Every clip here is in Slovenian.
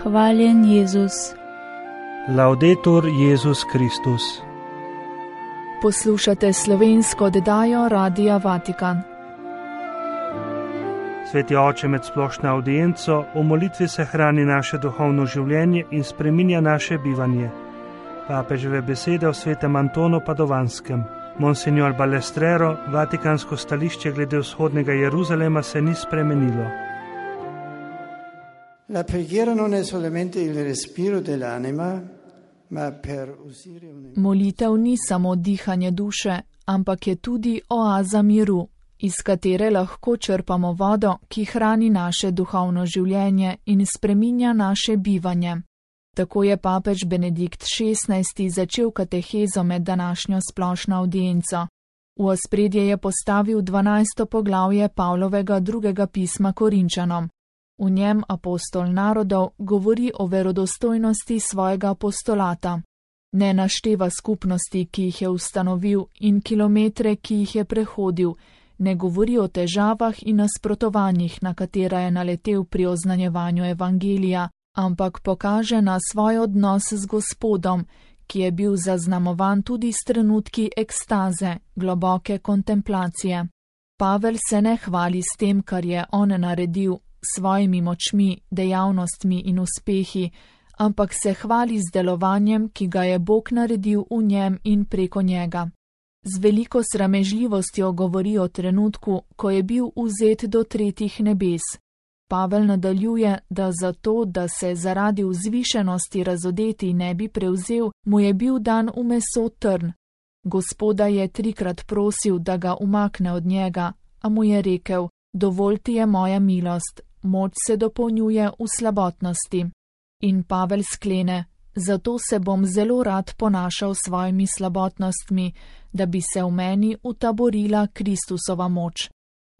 Hvaljen Jezus. Laudetur Jezus Kristus. Poslušate slovensko oddajo Radia Vatikan. Sveti Oče, med splošno audienco, v molitvi se hrani naše duhovno življenje in spreminja naše bivanje. Papeževe besede o svetem Antonu Padovanskem. Monsignor Balestrero, vatikansko stališče glede vzhodnega Jeruzalema se ni spremenilo. La preghiera non è solamente il respiro dell'anima, ma per usare Molitev ni samo dihanje duše, ampak je tudi oaza miru, iz katere lahko črpamo vodo, ki hrani naše duhovno življenje in spreminja naše bivanje. Tako je papež Benedikt XVI. Začel katehezo med današnjo splošno audienco. V ospredje je postavil 12. poglavje Pavlovega drugega pisma Korinčanom. V njem apostol narodov govori o verodostojnosti svojega apostolata. Ne našteva skupnosti, ki jih je ustanovil, in kilometre, ki jih je prehodil, ne govori o težavah in nasprotovanjih, na katera je naletel pri oznanjevanju evangelija, ampak pokaže na svoj odnos z Gospodom, ki je bil zaznamovan tudi s trenutki ekstaze, globoke kontemplacije. Pavel se ne hvali s tem, kar je on naredil, svojimi močmi, dejavnostmi in uspehi, ampak se hvali z delovanjem, ki ga je Bog naredil v njem in preko njega. Z veliko sramežljivostjo govori o trenutku, ko je bil vzet do tretjih nebes. Pavel nadaljuje, da zato, da se zaradi vzvišenosti razodeti ne bi prevzel, mu je bil dan v meso trn. Gospoda je 3-krat prosil, da ga umakne od njega, a mu je rekel: dovolj ti je moja milost, moč se dopolnjuje v slabotnosti. In Pavel sklene: zato se bom zelo rad ponašal s svojimi slabotnostmi, da bi se v meni utaborila Kristusova moč.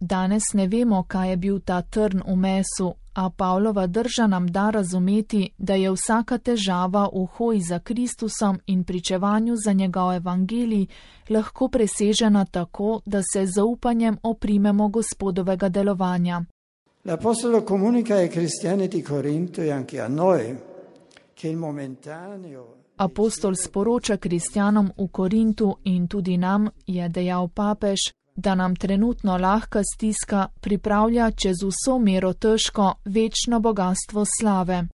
Danes ne vemo, kaj je bil ta trn v mesu, a Pavlova drža nam da razumeti, da je vsaka težava v hoji za Kristusom in pričevanju za njegov evangelij lahko presežena tako, da se z zaupanjem oprimemo Gospodovega delovanja. L'Apostolo comunica ai cristiani di Corinto e anche a noi che il momentaneo. Apostol sporoča kristjanom v Korintu in tudi nam, je dejal papež, da nam trenutno lahka stiska pripravlja čez vso mero težko večno bogastvo slave.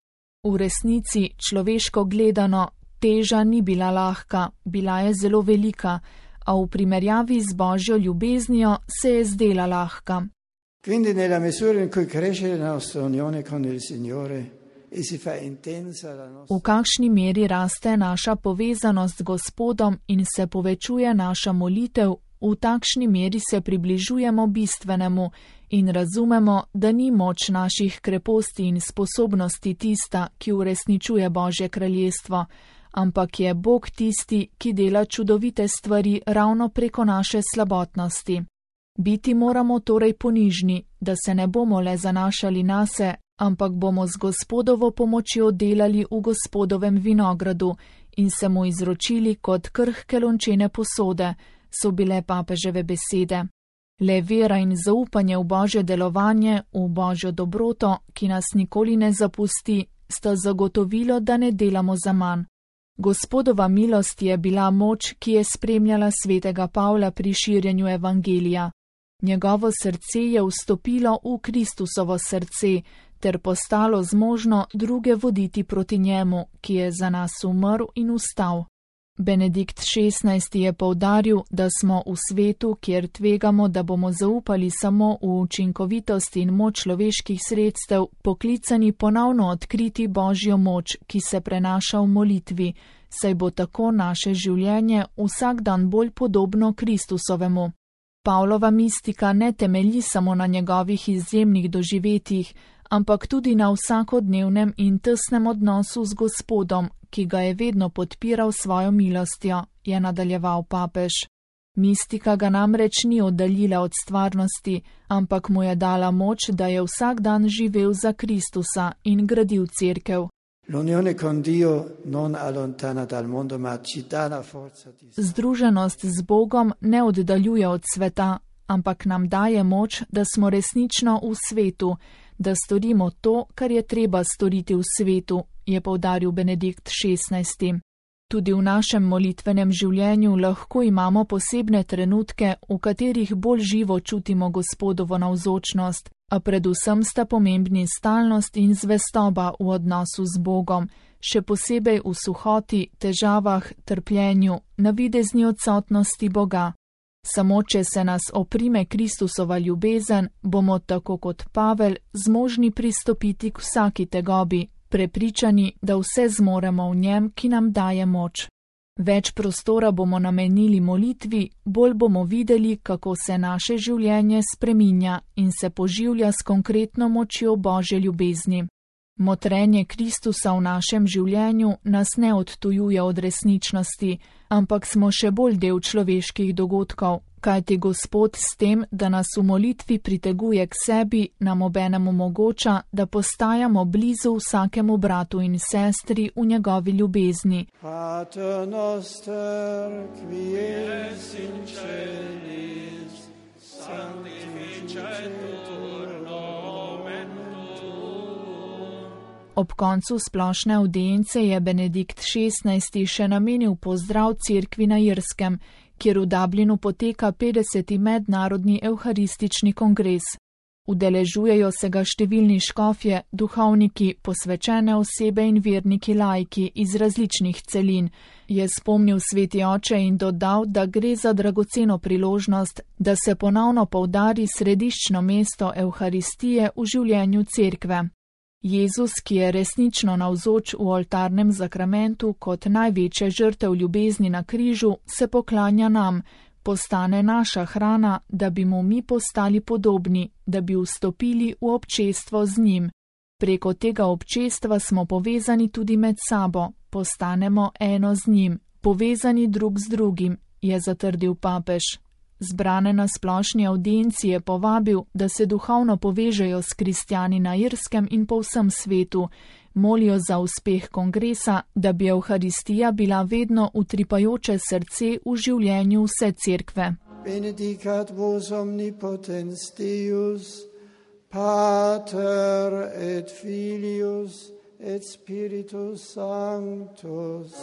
V resnici, človeško gledano, teža ni bila lahka, bila je zelo velika, a v primerjavi z Božjo ljubeznijo se je zdela lahka. Quindi nella misura in cui cresce la nostra unione con il Signore e si fa intensa la nostra. V kakšni meri raste naša povezanost z Gospodom in se povečuje naša molitev, v takšni meri se približujemo bistvenemu in razumemo, da ni moč naših kreposti in sposobnosti tista, ki uresničuje Božje kraljestvo, ampak je Bog tisti, ki dela čudovite stvari ravno preko naše slabotnosti. Biti moramo torej ponižni, da se ne bomo le zanašali nase, ampak bomo z Gospodovo pomočjo delali v Gospodovem vinogradu in se mu izročili kot krhke lončene posode, so bile papeževe besede. Le vera in zaupanje v Božje delovanje, v Božjo dobroto, ki nas nikoli ne zapusti, sta zagotovilo, da ne delamo zaman. Gospodova milost je bila moč, ki je spremljala svetega Pavla pri širjenju evangelija. Njegovo srce je vstopilo v Kristusovo srce ter postalo zmožno druge voditi proti njemu, ki je za nas umrl in vstal. Benedikt XVI. Je poudaril, da smo v svetu, kjer tvegamo, da bomo zaupali samo v učinkovitost in moč človeških sredstev, poklicani ponovno odkriti Božjo moč, ki se prenaša v molitvi, saj bo tako naše življenje vsak dan bolj podobno Kristusovemu. Pavlova mistika ne temelji samo na njegovih izjemnih doživetjih, ampak tudi na vsakodnevnem in tesnem odnosu z Gospodom, ki ga je vedno podpiral svojo milostjo, je nadaljeval papež. Mistika ga namreč ni oddaljila od stvarnosti, ampak mu je dala moč, da je vsak dan živel za Kristusa in gradil cerkev. Združenost z Bogom ne oddaljuje od sveta, ampak nam daje moč, da smo resnično v svetu, da storimo to, kar je treba storiti v svetu, je poudaril Benedikt XVI. Tudi v našem molitvenem življenju lahko imamo posebne trenutke, v katerih bolj živo čutimo Gospodovo navzočnost, a predvsem sta pomembni stalnost in zvestoba v odnosu z Bogom, še posebej v suhoti, težavah, trpljenju, navidezni odsotnosti Boga. Samo če se nas oprime Kristusova ljubezen, bomo tako kot Pavel zmožni pristopiti k vsaki tegobi, prepričani, da vse zmoremo v njem, ki nam daje moč. Več prostora bomo namenili molitvi, bolj bomo videli, kako se naše življenje spreminja in se poživlja s konkretno močjo Božje ljubezni. Motrenje Kristusa v našem življenju nas ne odtujuje od resničnosti, ampak smo še bolj del človeških dogodkov, kajti Gospod s tem, da nas v molitvi priteguje k sebi, nam obenem omogoča, da postajamo blizu vsakemu bratu in sestri v njegovi ljubezni. Pater noster, qui es in celis, sanctificetur nomen tuum. Ob koncu splošne avdience je Benedikt XVI še namenil pozdrav cerkvi na Irskem, kjer v Dublinu poteka 50. mednarodni evharistični kongres. Udeležujejo se ga številni škofje, duhovniki, posvečene osebe in verniki laiki iz različnih celin, je spomnil sveti oče in dodal, da gre za dragoceno priložnost, da se ponovno poudari središčno mesto evharistije v življenju cerkve. Jezus, ki je resnično navzoč v oltarnem zakramentu kot največja žrtev ljubezni na križu, se poklanja nam, postane naša hrana, da bi mu mi postali podobni, da bi vstopili v občestvo z njim. Preko tega občestva smo povezani tudi med sabo, postanemo eno z njim, povezani drug z drugim, je zatrdil papež. Zbrane na splošni avdienci je povabil, da se duhovno povežejo s kristjani na Irskem in po vsem svetu, molijo za uspeh kongresa, da bi evharistija bila vedno utripajoče srce v življenju vse cerkve. Benedicat vos omnipotens Deus, Pater et Filius et Spiritus Sanctus.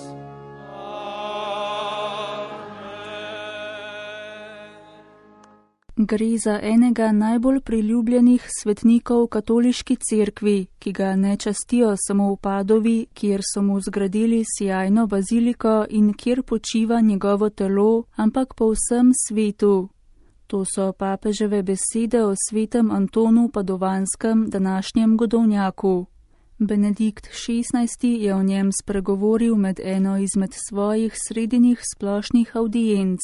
Gre za enega najbolj priljubljenih svetnikov katoliški cerkvi, ki ga ne častijo samo v Padovi, kjer so mu zgradili sijajno baziliko in kjer počiva njegovo telo, ampak po vsem svetu. To so papeževe besede o svetem Antonu Padovanskem, današnjem godovnjaku. Benedikt XVI je o njem spregovoril med eno izmed svojih sredinih splošnih avdienc.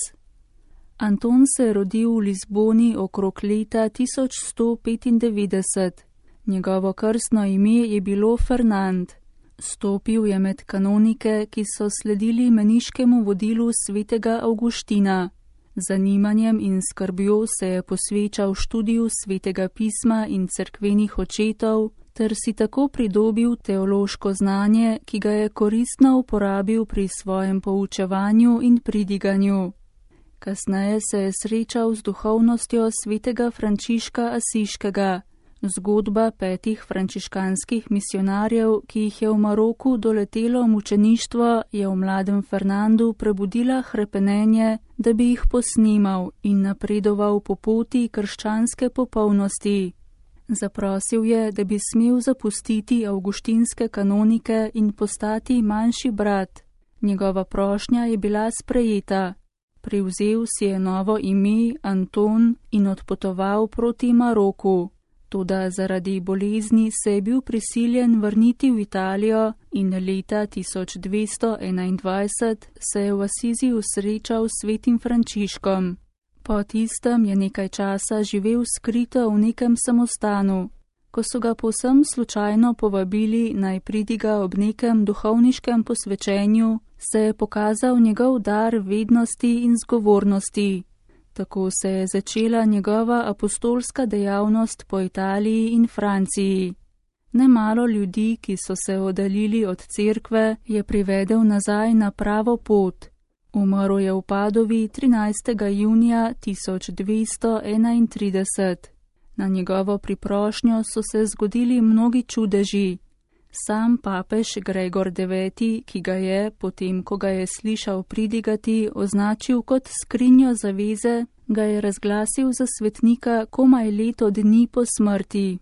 Anton se je rodil v Lizboni okrog leta 1195. Njegovo krstno ime je bilo Fernand. Stopil je med kanonike, ki so sledili meniškemu vodilu svetega Avguština. Zanimanjem in skrbjo se je posvečal študiju svetega pisma in cerkvenih očetov, ter si tako pridobil teološko znanje, ki ga je koristno uporabil pri svojem poučevanju in pridiganju. Kasneje se je srečal z duhovnostjo svetega Frančiška Asiškega. Zgodba 5 frančiškanskih misionarjev, ki jih je v Maroku doletelo mučeništvo, je v mladem Fernandu prebudila hrepenenje, da bi jih posnemal in napredoval po poti krščanske popolnosti. Zaprosil je, da bi smel zapustiti avguštinske kanonike in postati manjši brat. Njegova prošnja je bila sprejeta. Privzel si je novo ime Anton in odpotoval proti Maroku. Toda zaradi bolezni se je bil prisiljen vrniti v Italijo in leta 1221 se je v Asiziju srečal s svetim Frančiškom. Po tistem je nekaj časa živel skrito v nekem samostanu. Ko so ga povsem slučajno povabili, naj pridiga ob nekem duhovniškem posvečenju, se je pokazal njegov dar vednosti in zgovornosti. Tako se je začela njegova apostolska dejavnost po Italiji in Franciji. Nemalo ljudi, ki so se oddaljili od cerkve, je privedel nazaj na pravo pot. V Umrl je v Padovi 13. junija 1231. Na njegovo priprošnjo so se zgodili mnogi čudeži. Sam papež Gregor IX., ki ga je, potem ko ga je slišal pridigati, označil kot skrinjo zaveze, ga je razglasil za svetnika komaj leto dni po smrti.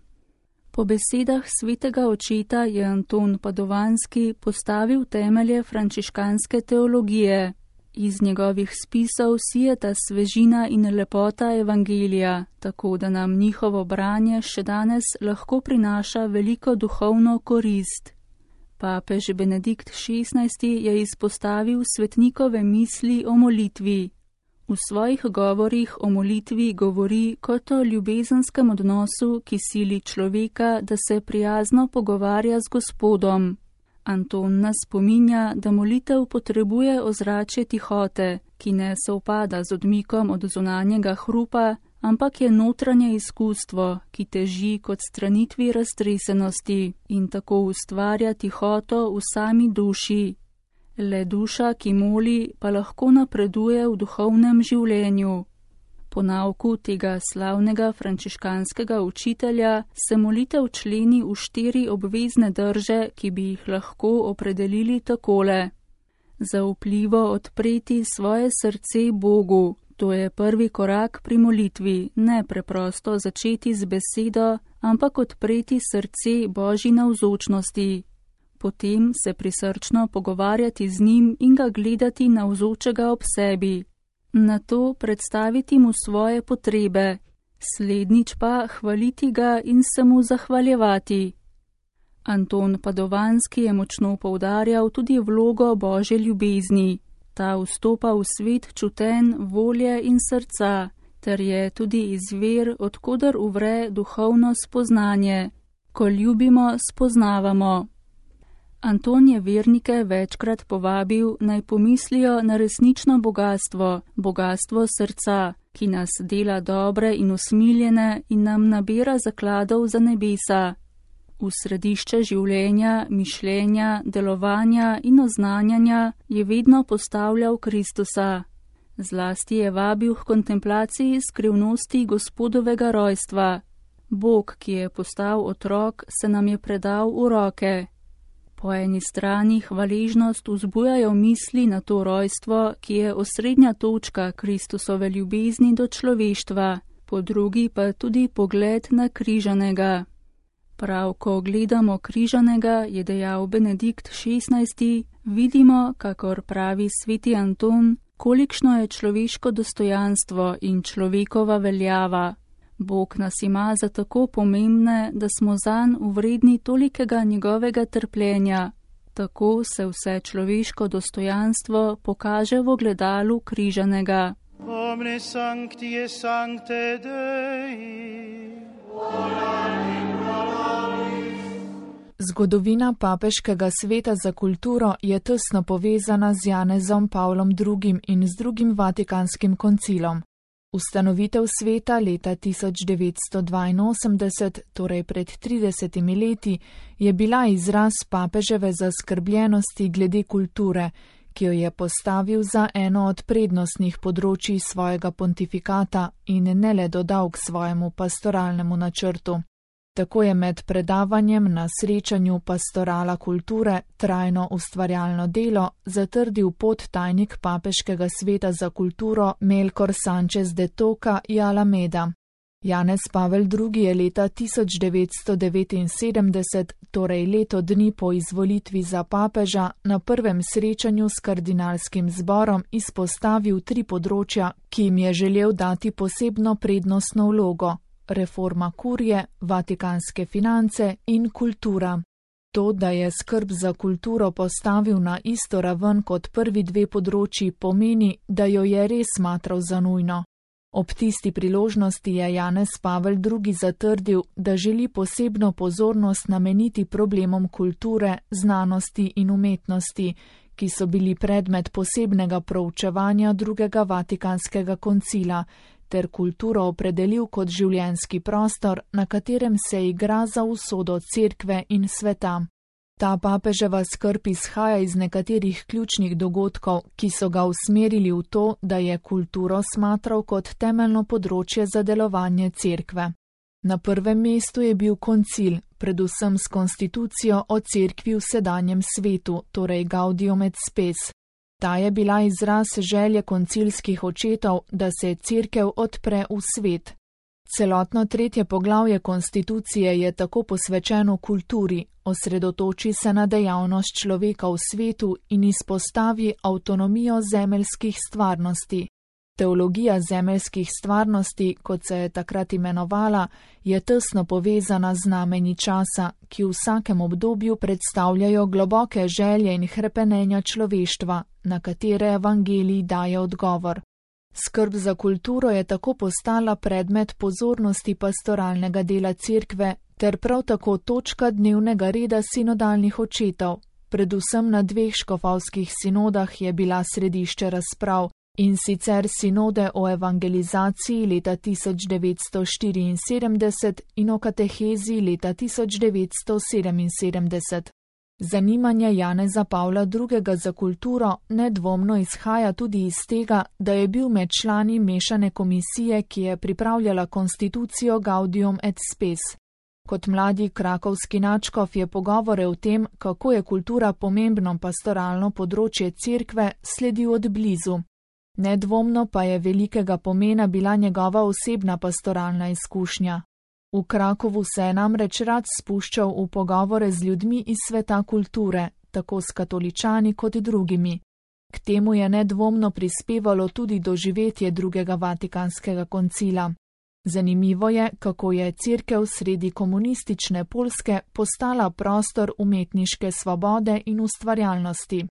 Po besedah svetega očeta je Anton Padovanski postavil temelje frančiškanske teologije. Iz njegovih spisov sijeta svežina in lepota evangelija, tako da nam njihovo branje še danes lahko prinaša veliko duhovno korist. Papež Benedikt XVI. Je izpostavil svetnikove misli o molitvi. V svojih govorih o molitvi govori kot o ljubezenskem odnosu, ki sili človeka, da se prijazno pogovarja z Gospodom. Anton nas spominja, da molitev potrebuje ozračje tihote, ki ne sovpada z odmikom od zunanjega hrupa, ampak je notranje izkustvo, ki teži kot stranitvi raztresenosti in tako ustvarja tihoto v sami duši. Le duša, ki moli, pa lahko napreduje v duhovnem življenju. Po nauku tega slavnega frančiškanskega učitelja se molitev členi v 4 obvezne drže, ki bi jih lahko opredelili takole. Zaupljivo odpreti svoje srce Bogu, to je prvi korak pri molitvi, ne preprosto začeti z besedo, ampak odpreti srce Božji navzočnosti. Potem se prisrčno pogovarjati z njim in ga gledati navzočega ob sebi. Nato predstaviti mu svoje potrebe, slednjič pa hvaliti ga in se mu zahvaljevati. Anton Padovanski je močno poudarjal tudi vlogo Božje ljubezni. Ta vstopa v svet čuten, volje in srca, ter je tudi izvir, odkoder uvre duhovno spoznanje. Ko ljubimo, spoznavamo. Anton je vernike večkrat povabil, naj pomislijo na resnično bogastvo, bogastvo srca, ki nas dela dobre in usmiljene in nam nabira zakladov za nebesa. V središče življenja, mišljenja, delovanja in oznanjanja je vedno postavljal Kristusa. Zlasti je vabil k kontemplaciji skrivnosti Gospodovega rojstva. Bog, ki je postal otrok, se nam je predal v roke. Po eni strani hvaležnost vzbujajo misli na to rojstvo, ki je osrednja točka Kristusove ljubezni do človeštva, po drugi pa tudi pogled na križanega. Prav, ko gledamo križanega, je dejal Benedikt XVI., vidimo, kakor pravi sveti Anton, kolikšno je človeško dostojanstvo in človekova veljava. Bog nas ima za tako pomembne, da smo zanj vredni tolikega njegovega trpljenja. Tako se vse človeško dostojanstvo pokaže v ogledalu križanega. Omne sancti et sancte Dei. Zgodovina papeškega sveta za kulturo je tesno povezana z Janezom Pavlom II. In z drugim Vatikanskim koncilom. Ustanovitev sveta leta 1982, torej pred 30 leti, je bila izraz papeževe zaskrbljenosti glede kulture, ki jo je postavil za eno od prednostnih področij svojega pontifikata in ne le dodal k svojemu pastoralnemu načrtu. Tako je med predavanjem na srečanju Pastorala kulture trajno ustvarjalno delo zatrdil podtajnik papeškega sveta za kulturo Melkor Sanchez de Toca y Alameda. Janez Pavel II. Je leta 1979, torej leto dni po izvolitvi za papeža, na prvem srečanju s kardinalskim zborom izpostavil 3 področja, ki jim je želel dati posebno prednostno vlogo: reforma kurije, vatikanske finance in kultura. To, da je skrb za kulturo postavil na isto raven kot prvi 2 področji, pomeni, da jo je res smatral za nujno. Ob tisti priložnosti je Janez Pavel II. Zatrdil, da želi posebno pozornost nameniti problemom kulture, znanosti in umetnosti, ki so bili predmet posebnega proučevanja drugega Vatikanskega koncila, ter kulturo opredelil kot življenjski prostor, na katerem se igra za usodo cerkve in sveta. Ta papeževa skrb izhaja iz nekaterih ključnih dogodkov, ki so ga usmerili v to, da je kulturo smatral kot temeljno področje za delovanje cerkve. Na prvem mestu je bil koncil, predvsem s konstitucijo o cerkvi v sedanjem svetu, torej Gaudium et Spes. Ta je bila izraz želje koncilskih očetov, da se cerkev odpre v svet. Celotno 3. poglavje konstitucije je tako posvečeno kulturi, osredotoči se na dejavnost človeka v svetu in izpostavi avtonomijo zemeljskih stvarnosti. Teologija zemeljskih stvarnosti, kot se je takrat imenovala, je tesno povezana z znamenji časa, ki v vsakem obdobju predstavljajo globoke želje in hrepenenja človeštva, na katere evangelij daje odgovor. Skrb za kulturo je tako postala predmet pozornosti pastoralnega dela cerkve ter prav tako točka dnevnega reda sinodalnih očetov. Predvsem na 2 škofovskih sinodah je bila središče razprav, in sicer sinode o evangelizaciji leta 1974 in o katehezi leta 1977. Zanimanje Janeza Pavla II. Za kulturo nedvomno izhaja tudi iz tega, da je bil med člani mešane komisije, ki je pripravljala konstitucijo Gaudium et Spes. Kot mladi krakovski nadškof je pogovore o tem, kako je kultura pomembno pastoralno področje cerkve, sledil od blizu. Nedvomno pa je velikega pomena bila njegova osebna pastoralna izkušnja. V Krakovu se je namreč rad spuščal v pogovore z ljudmi iz sveta kulture, tako s katoličani kot drugimi. K temu je nedvomno prispevalo tudi doživetje 2. Vatikanskega koncila. Zanimivo je, kako je cerkev sredi komunistične Poljske postala prostor umetniške svobode in ustvarjalnosti.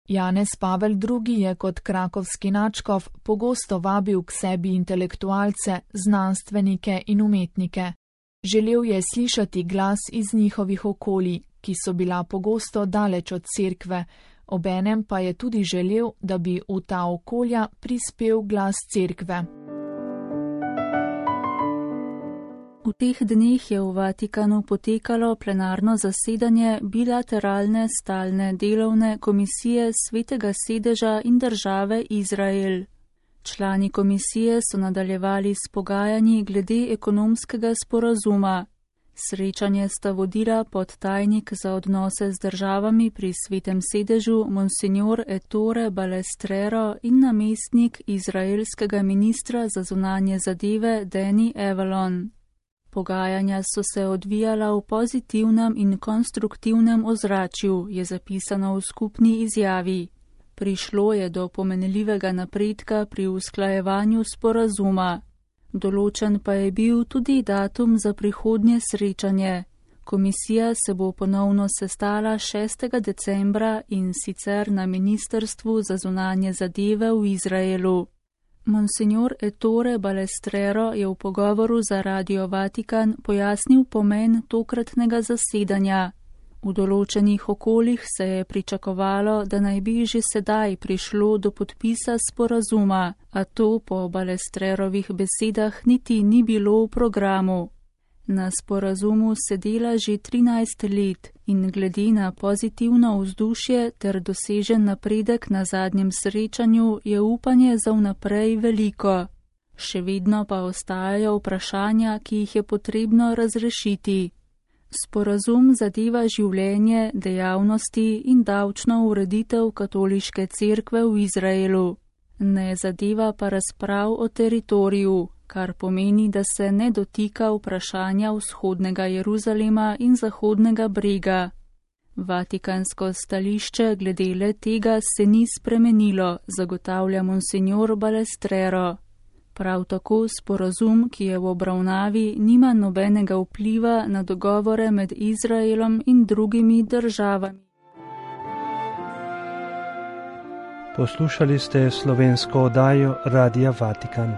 Janez Pavel II. Je kot krakovski nadškof pogosto vabil k sebi intelektualce, znanstvenike in umetnike. Želel je slišati glas iz njihovih okolij, ki so bila pogosto daleč od cerkve, obenem pa je tudi želel, da bi v ta okolja prispel glas cerkve. V teh dneh je v Vatikanu potekalo plenarno zasedanje bilateralne stalne delovne komisije Svetega sedeža in države Izrael. Člani komisije so nadaljevali s pogajanji glede ekonomskega sporazuma. Srečanje sta vodila podtajnik za odnose z državami pri Svetem sedežu Monsignor Ettore Balestrero in namestnik izraelskega ministra za zunanje zadeve Danny Avalon. Pogajanja so se odvijala v pozitivnem in konstruktivnem ozračju, je zapisano v skupni izjavi. Prišlo je do pomenljivega napredka pri usklajevanju sporazuma. Določen pa je bil tudi datum za prihodnje srečanje. Komisija se bo ponovno sestala 6. decembra in sicer na Ministrstvu za zunanje zadeve v Izraelu. Monsignor Ettore Balestrero je v pogovoru za Radio Vatikan pojasnil pomen tokratnega zasedanja. V določenih okoljih se je pričakovalo, da naj bi že sedaj prišlo do podpisa sporazuma, a to po Balestrerovih besedah niti ni bilo v programu. Na sporazumu se dela že 13 let in glede na pozitivno vzdušje ter dosežen napredek na zadnjem srečanju je upanje za vnaprej veliko. Še vedno pa ostajajo vprašanja, ki jih je potrebno razrešiti. Sporazum zadeva življenje, dejavnosti in davčno ureditev katoliške cerkve v Izraelu. Ne zadeva pa razprav o teritoriju, kar pomeni, da se ne dotika vprašanja vzhodnega Jeruzalema in zahodnega brega. Vatikansko stališče glede le tega se ni spremenilo, zagotavlja Monsignor Balestrero. Prav tako sporazum, ki je v obravnavi, nima nobenega vpliva na dogovore med Izraelom in drugimi državami. Poslušali ste slovensko oddajo Radia Vatikan.